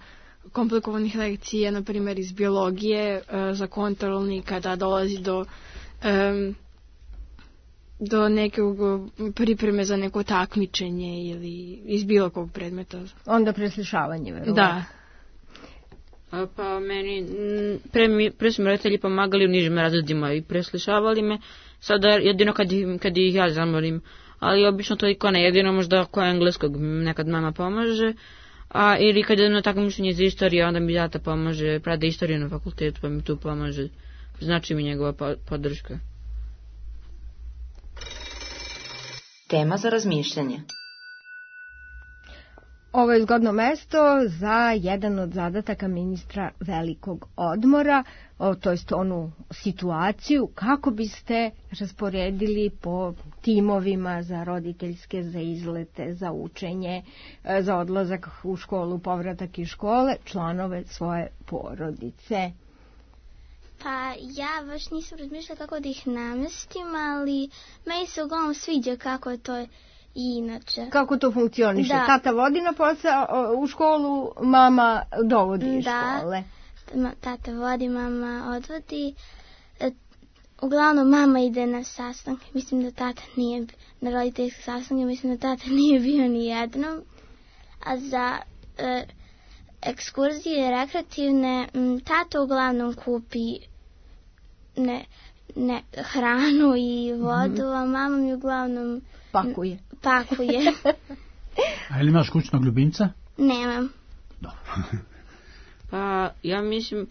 komplikovanih lekcija, na primjer iz biologije, uh, za kontrolni kada dolazi do um, do nekog pripreme za neko takmičenje ili iz bilo kog predmeta. Onda preslišavanje, verovatno. Da. A, pa meni, pre, mi, pre su mi roditelji pomagali u nižim razredima i preslišavali me, sada jedino kad, kad ih ja zamorim, ali obično to i ko ne, jedino možda ko engleskog nekad mama pomaže, a ili kad jedno takmičenje za istoriju, onda mi tata pomaže, prade istoriju na fakultetu pa mi tu pomaže, znači mi njegova podrška. Tema za razmišljanje. Ovo je zgodno mesto za jedan od zadataka ministra velikog odmora, o, to jest onu situaciju kako biste rasporedili po timovima za roditeljske, za izlete, za učenje, za odlazak u školu, povratak iz škole, članove svoje porodice. Pa ja baš nisam razmišljala kako da ih namestim, ali meni se uglavnom sviđa kako je to i inače. Kako to funkcioniše? Da. Tata vodi na posao u školu, mama dovodi iz da. škole. Da, tata vodi, mama odvodi. E, uglavnom mama ide na sastanke. Mislim da tata nije, na roditeljske sastanke, mislim da tata nije bio ni jednom. A za e, ekskurzije rekreativne, m, tata uglavnom kupi ne, ne, hranu i vodu, mm-hmm. a mama mi uglavnom pakuje. pakuje. A ili imaš kućnog ljubimca? Nemam. Dobro. Pa ja mislim,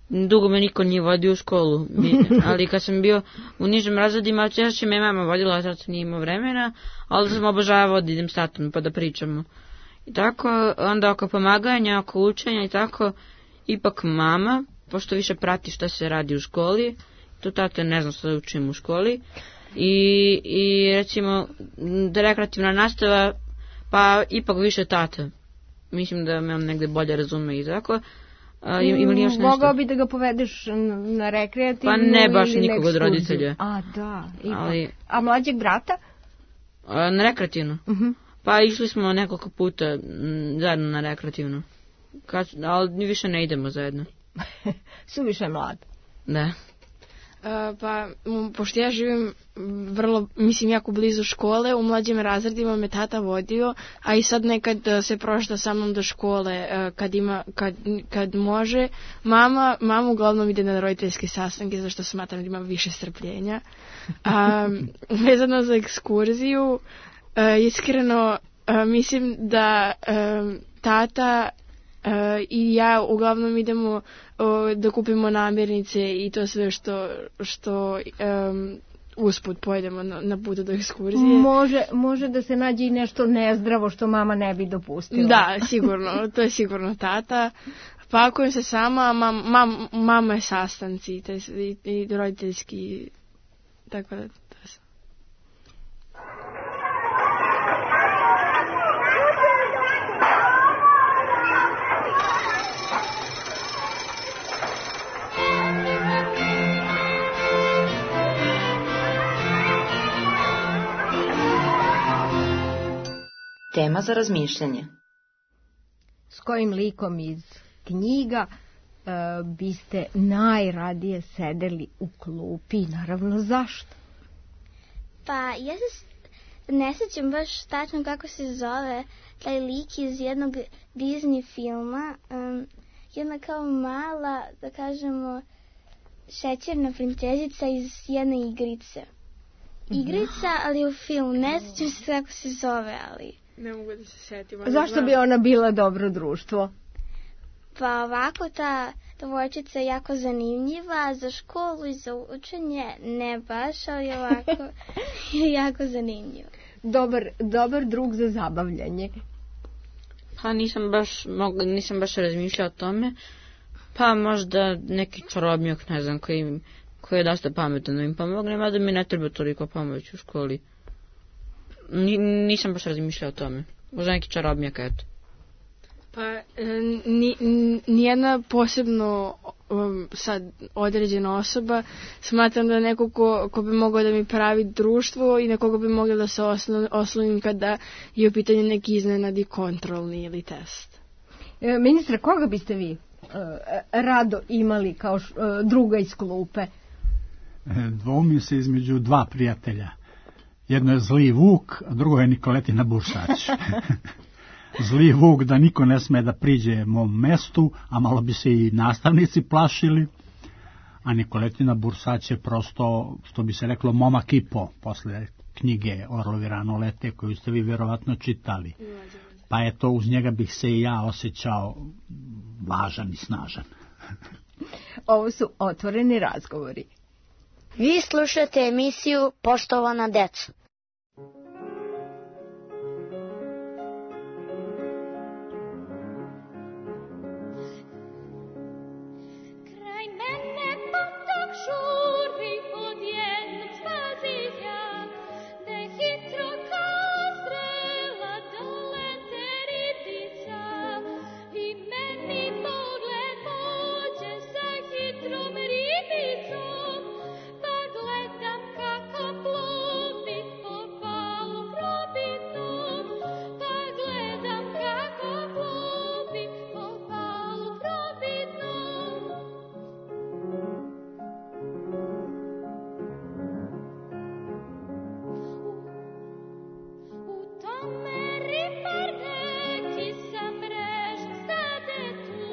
dugo me niko nije vodio u školu, mi, ali kad sam bio u nižim razredima, češće me mama vodila, sad sam nije imao vremena, ali sam obožavao da idem s tatom pa da pričamo. I tako, onda oko pomaganja, oko učenja i tako, ipak mama, pošto više prati šta se radi u školi, to tata ne znam šta da učim u školi, i, i recimo, da rekreativna nastava, pa ipak više tata. Mislim da me on negde bolje razume i tako. A, ima li još nešto? Mogao bi da ga povedeš na rekreativnu? Pa ne baš nikog od roditelja. A da, ipak. Ali, a mlađeg brata? A, na rekreativnu? Uh-huh. Pa išli smo nekoliko puta m, zajedno na rekreativnu. Kad, ali više ne idemo zajedno. Suviše mlad. Da. Uh, pa, m, pošto ja živim vrlo, mislim, jako blizu škole, u mlađim razredima me tata vodio, a i sad nekad uh, se prošla sa mnom do škole uh, kad, ima, kad, kad može. Mama, mama uglavnom ide na roditeljske sastanke, zašto smatram da ima više strpljenja. Um, vezano za ekskurziju, uh, iskreno uh, mislim da um, tata Uh, i ja uglavnom idemo uh, da kupimo namirnice i to sve što, što um, usput pojedemo na, na putu do ekskurzije. Može, može da se nađe i nešto nezdravo što mama ne bi dopustila. Da, sigurno, to je sigurno tata. Pakujem se sama, mam, mam, mama je sastanci te, i, i roditeljski, tako da... Tema za razmišljanje. S kojim likom iz knjiga e, biste najradije sedeli u klupi i naravno zašto? Pa ja se s- ne sjećam baš tačno kako se zove taj lik iz jednog Disney filma. Um, jedna kao mala, da kažemo, šećerna princezica iz jedne igrice. Igrica, ali u filmu. Ne sjećam se kako se zove, ali... Ne mogu da se setim. ali Zašto znam. bi ona bila dobro društvo? Pa ovako ta devojčica je jako zanimljiva za školu i za učenje. Ne baš, ali ovako je jako zanimljiva. Dobar, dobar drug za zabavljanje. Pa nisam baš, mog, nisam baš razmišljao o tome. Pa možda neki čarobnjak, ne znam, koji, koji je dosta pametan da im pomogne, mada mi ne treba toliko pomoći u školi. Ni, nisam baš razmišljao o tome. Možda neki čarobnjak, eto. Pa e, ni, ni- nijedna posebno um, sad određena osoba, smatram da neko ko, ko bi mogao da mi pravi društvo i na koga bi mogla da se oslo- oslonim kada je u pitanju neki iznenadi kontrolni ili test. E, ministre, koga biste vi e, rado imali kao š, e, druga iz klupe? E, Dvoumim se između dva prijatelja. Jedno je zli Vuk, a drugo je Nikoletina Bursać. Zli Vuk da niko ne sme da priđe mom mestu, a malo bi se i nastavnici plašili. A Nikoletina Bursać je prosto, što bi se reklo, momak i po, posle knjige Orlovi rano lete, koju ste vi vjerovatno čitali. Pa eto, uz njega bih se i ja osjećao važan i snažan. Ovo su otvoreni razgovori. Vi slušate emisiju Poštovana deco. Kraj mene potok žuri od jednog spazilja, da hitro kao strela dolete ribica. I meni pogled pođe sa hitrom ribicom, pa gledam kako plovi po balu probitnom, pa gledam kako plovi po balu probitnom. U tome ripar neki sa mrežom stade tu,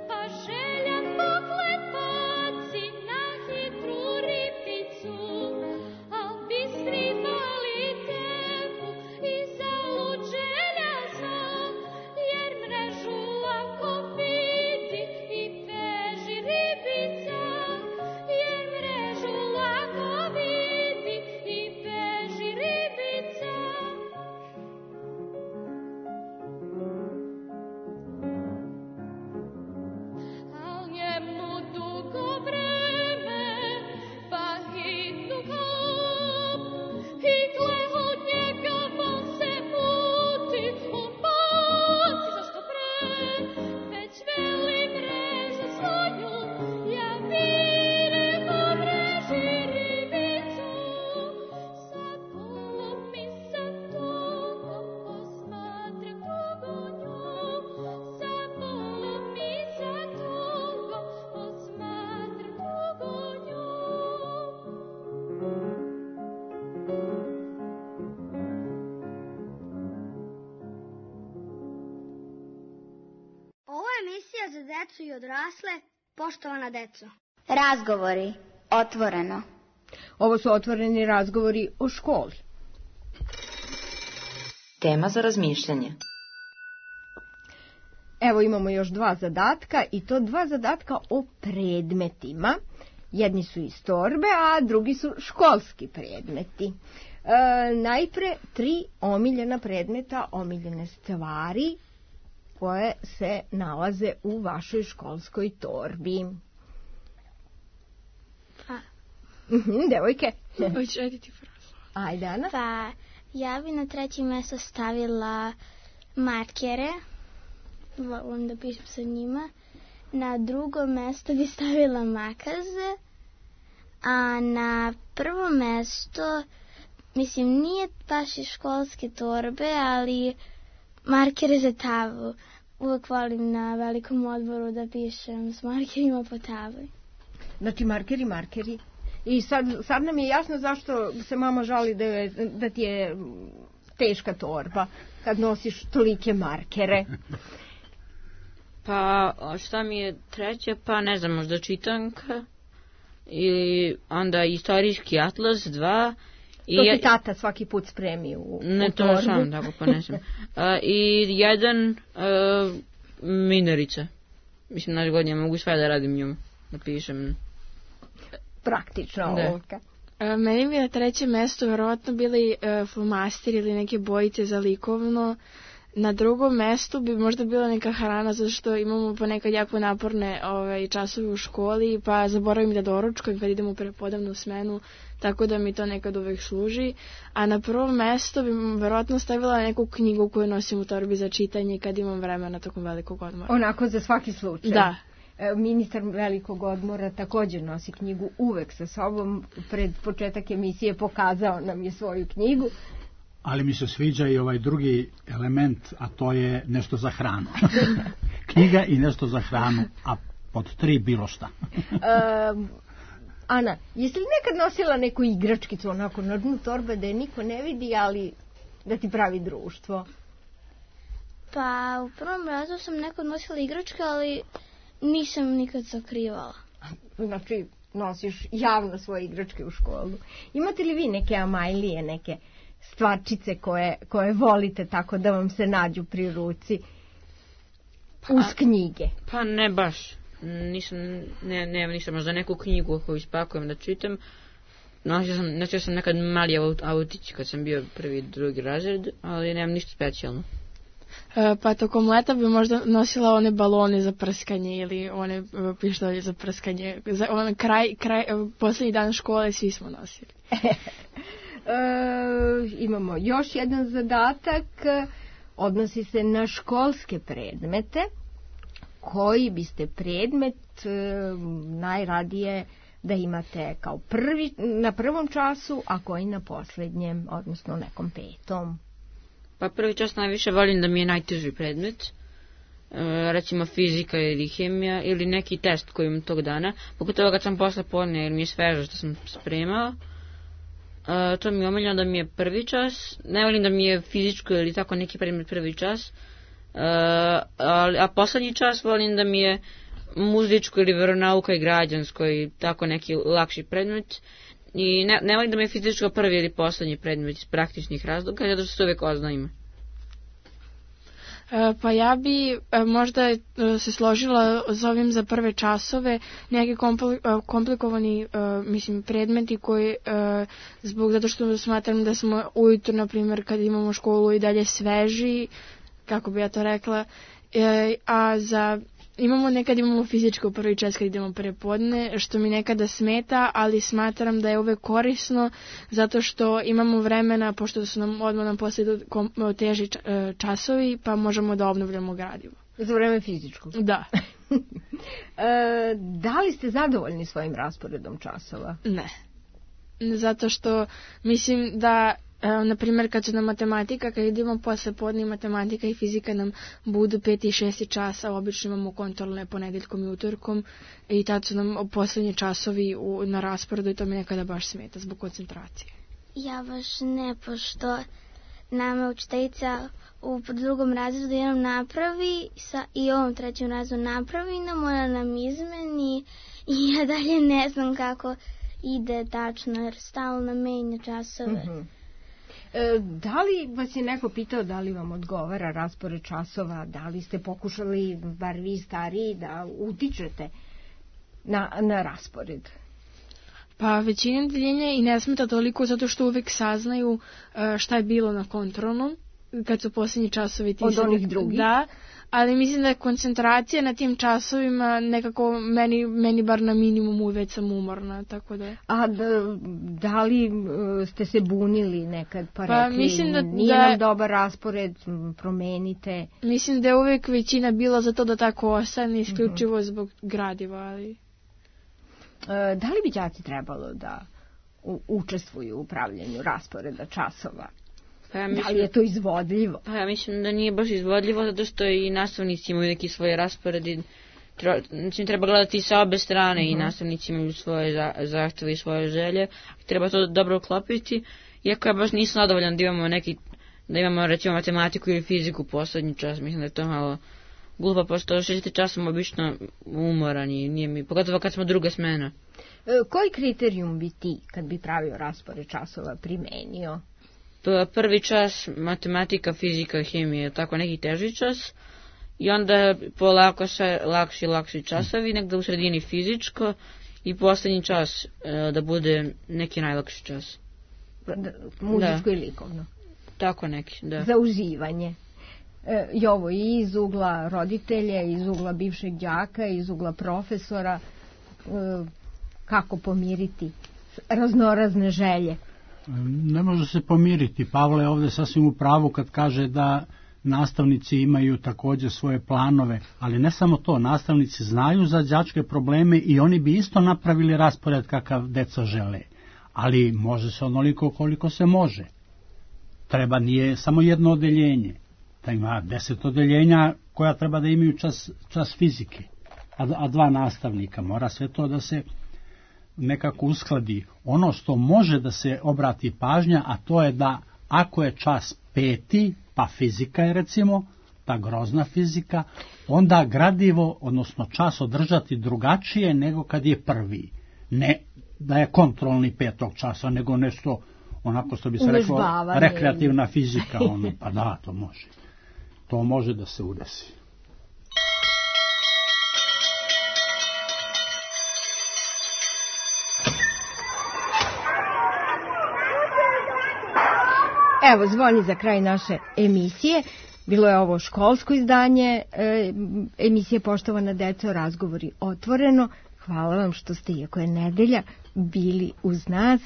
pa željan pogled baci na hitru ribicu, al bistri mali teku i zalud želja zna, jer mrežu lako vidi i beži ribica, jer mrežu lako vidi i beži ribica. Al njemu dugo vreme, pa hitnu kap, i gle od njega on se puti, on baci zašto pre, već veli mrežu svoju, ja vireko mreži ribicu, sa polom i sa tugom posmatram dugo nju, sa polom i sa tugom posmatram dugo nju. Ovo je emisija za decu i odrasle. Poštovana deco. Razgovori. Otvoreno. Ovo su otvoreni razgovori o školi. Tema za razmišljanje. Evo imamo još dva zadatka i to dva zadatka o predmetima. Jedni su iz torbe, a drugi su školski predmeti. E, najpre tri omiljena predmeta, omiljene stvari koje se nalaze u vašoj školskoj torbi. Pa, Mhm, devojke. Hoćeš ajde ti frazu. Ajde, Ana. pa ja bi na treće mjesto stavila markere. Volim da pišem sa njima. Na drugo mjesto bi stavila makaze. A na prvo mjesto mislim, nije baš iz školske torbe, ali markere za tablu. Uvek volim na velikom odboru da pišem s markerima po tabli. Znači markeri, markeri. I sad, sad nam je jasno zašto se mama žali da, je, da ti je teška torba kad nosiš tolike markere. Pa šta mi je treće, pa ne znam, možda čitanka ili onda istorijski atlas dva. To ti tata svaki put spremi u, ne, u torbu. Ne, to sam tako ponesem. uh, I jedan uh, minerica. Mislim, naš godin ja mogu sve da radim njom, da pišem. Praktično ovoga. E, meni bi na trećem mestu vjerovatno bili e, flomasteri ili neke bojice za likovno. Na drugom mestu bi možda bila neka hrana, zato što imamo ponekad jako naporne ovaj, časove u školi, pa zaboravim da doručkujem kad idemo u prepodavnu smenu, tako da mi to nekad uvek služi. A na prvom mestu bi vjerovatno stavila neku knjigu koju nosim u torbi za čitanje kad imam vremena tokom velikog odmora. Onako za svaki slučaj. Da. Ministar velikog odmora također nosi knjigu uvek sa sobom. Pred početak emisije pokazao nam je svoju knjigu. Ali mi se sviđa i ovaj drugi element, a to je nešto za hranu. Knjiga i nešto za hranu, a pod tri bilo šta. um, Ana, jesi li nekad nosila neku igračkicu onako na dnu torbe da je niko ne vidi, ali da ti pravi društvo? Pa u prvom razu sam nekad nosila igračke, ali nisam nikad sakrivala. Znači, nosiš javno svoje igračke u školu. Imate li vi neke amajlije, neke stvarčice koje, koje volite tako da vam se nađu pri ruci uz knjige? Pa ne baš. Nisam, ne, nemam ništa, možda neku knjigu koju ispakujem da čitam. Nosio sam, nosio sam nekad mali autić kad sam bio prvi, drugi razred, ali nemam ništa specijalno. E, pa tokom leta bi možda nosila one balone za prskanje ili one pištolje za prskanje. Za on kraj, kraj, posljednji dan škole svi smo nosili. e, imamo još jedan zadatak, odnosi se na školske predmete. Koji biste predmet e, najradije da imate kao prvi, na prvom času, a koji na posljednjem, odnosno nekom petom? Pa prvi čas najviše volim da mi je najteži predmet, e, recimo fizika ili hemija ili neki test koji imam tog dana, pogotovo kad sam posle podne jer mi je sveže što sam spremao. E, to mi je omiljeno da mi je prvi čas, ne volim da mi je fizičko ili tako neki predmet prvi čas, e, a, a poslednji čas volim da mi je muzičko ili veronauka i građansko i tako neki lakši predmet. I ne, ne volim da mi je fizičko prvi ili poslednji predmet iz praktičnih razloga, zato što se uvek oznajima. E, pa ja bi e, možda e, se složila s ovim za prve časove, neki kompli, e, komplikovani e, mislim, predmeti koji, e, zbog zato što smatram da smo ujutro, na primjer, kad imamo školu i dalje sveži, kako bi ja to rekla, e, a za... Imamo nekad imamo fizičko prvi čas kad idemo prepodne, što mi nekada smeta, ali smatram da je uvek korisno zato što imamo vremena, pošto su nam odmah nam poslije teži časovi, pa možemo da obnovljamo gradivo. Za vreme fizičkog? Da. e, da li ste zadovoljni svojim rasporedom časova? Ne. Zato što mislim da E, na primjer, kad su nam matematika, kad idemo posle podne matematika i fizika nam budu peti i šesti časa, obično imamo kontrolne ponedeljkom i utorkom i tad su nam posljednji časovi u, na rasporedu i to mi nekada baš smeta zbog koncentracije. Ja baš ne, pošto nama učiteljica u drugom razredu jednom napravi sa, i ovom trećem razredu napravi nam, ona nam izmeni i ja dalje ne znam kako ide tačno jer stalno menja časove. Mm-hmm. E, da li vas je neko pitao da li vam odgovara raspored časova, da li ste pokušali, bar vi stariji, da utičete na, na raspored? Pa većina deljenja i ne smeta toliko zato što uvek saznaju šta je bilo na kontrolnom, kad su posljednji časovi ti. Od onih drugih? Da, ali mislim da je koncentracija na tim časovima nekako meni, meni bar na minimumu već sam umorna, tako da. A da, da li ste se bunili nekad pa, pa rekli mislim da, nije da, nam dobar raspored, promenite? Mislim da je uvek većina bila za to da tako ostane, isključivo mm-hmm. zbog gradiva, ali... E, da li bi đaci trebalo da u, učestvuju u pravljenju rasporeda časova? Pa ja mislim, da li je to izvodljivo? Pa ja mislim da nije baš izvodljivo, zato što i nastavnici imaju neki svoje rasporedi. Znači, treba gledati sa obe strane, uh-huh. i nastavnici imaju svoje za, zahteve i svoje želje. Treba to dobro uklopiti. Iako ja baš nisam zadovoljan da imamo neki, da imamo recimo matematiku ili fiziku poslednji čas, mislim da je to malo glupo, pošto šesti čas sam obično umoran i nije mi, pogotovo kad smo druga smena. E, koji kriterijum bi ti, kad bi pravio raspored časova, primenio? Prvi čas matematika, fizika, hemija, tako neki teži čas, i onda polako se lakši i lakši časovi, negde u sredini fizičko, i poslednji čas e, da bude neki najlakši čas. Da, muzičko da. I likovno. Tako neki, da. Za uživanje. E, I ovo i iz ugla roditelja, iz ugla bivšeg đaka, iz ugla profesora, e, kako pomiriti raznorazne želje. Ne može se pomiriti. Pavle je ovde sasvim u pravu kad kaže da nastavnici imaju takođe svoje planove, ali ne samo to, nastavnici znaju za đačke probleme i oni bi isto napravili raspored kakav deca žele, ali može se onoliko koliko se može. Treba, nije samo jedno odeljenje, da ima deset odeljenja koja treba da imaju čas, čas fizike, a, a dva nastavnika, mora sve to da se nekako uskladi. Ono što može da se obrati pažnja, a to je da ako je čas peti, pa fizika je recimo, ta grozna fizika, onda gradivo, odnosno čas održati drugačije nego kad je prvi. Ne da je kontrolni petog časa, nego nešto, onako što bi se reklo, rekreativna fizika. Ono, pa da, to može. To može da se udesi. Evo, zvoni za kraj naše emisije. Bilo je ovo školsko izdanje e, emisije Poštovana deco, razgovori otvoreno. Hvala vam što ste, iako je nedelja, bili uz nas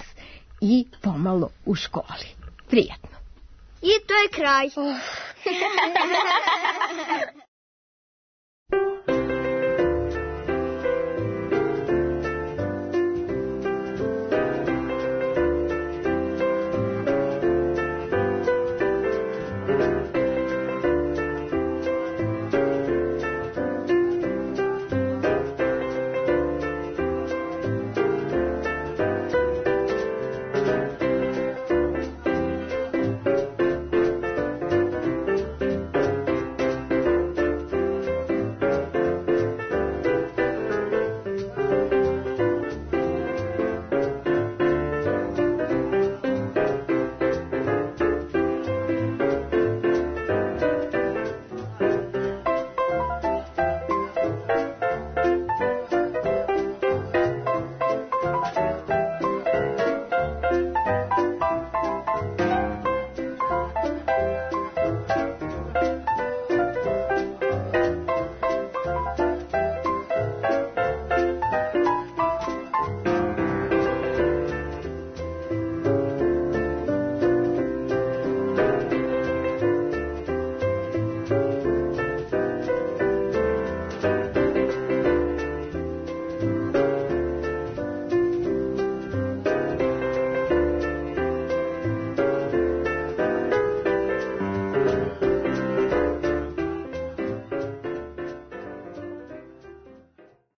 i pomalo u školi. Prijatno. I to je kraj.